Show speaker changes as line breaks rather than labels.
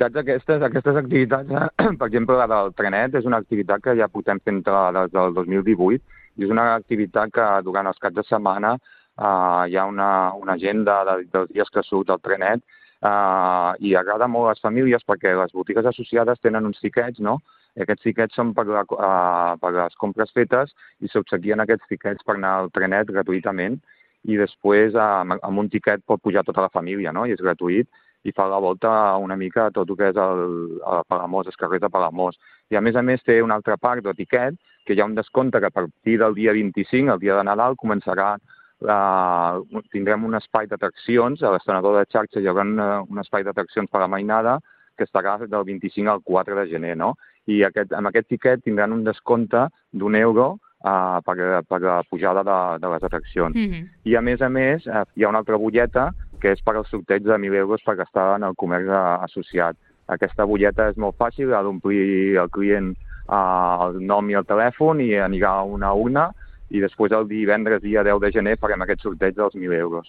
Aquestes activitats, per exemple, la del trenet, és una activitat que ja portem fent des del 2018 i és una activitat que durant els caps de setmana hi ha una agenda dels dies que surt el trenet i agrada molt a les famílies perquè les botigues associades tenen uns tiquets, no? I aquests tiquets són per les compres fetes i s'obsequien aquests tiquets per anar al trenet gratuïtament i després amb un tiquet pot pujar tota la família, no? I és gratuït i fa la volta una mica a tot el que és Palamós, els carrers de Palamós. I a més té una altra part de tiquet que hi ha un descompte que a partir del dia 25, el dia de Nadal, tindrem un espai d'atraccions, a l'estrenador de xarxa hi haurà un espai d'atraccions per la mainada que estarà del 25 al 4 de gener, no? I amb aquest tiquet tindran un descompte d'€1 per la pujada de les atraccions. I a més, hi ha una altra butlleta que és per al sorteig de €1.000 per gastar en el comerç associat. Aquesta butlleta és molt fàcil, ha d'omplir el client el nom i el telèfon i anirà a una urna i després el divendres, dia 10 de gener, farem aquest sorteig dels €1.000.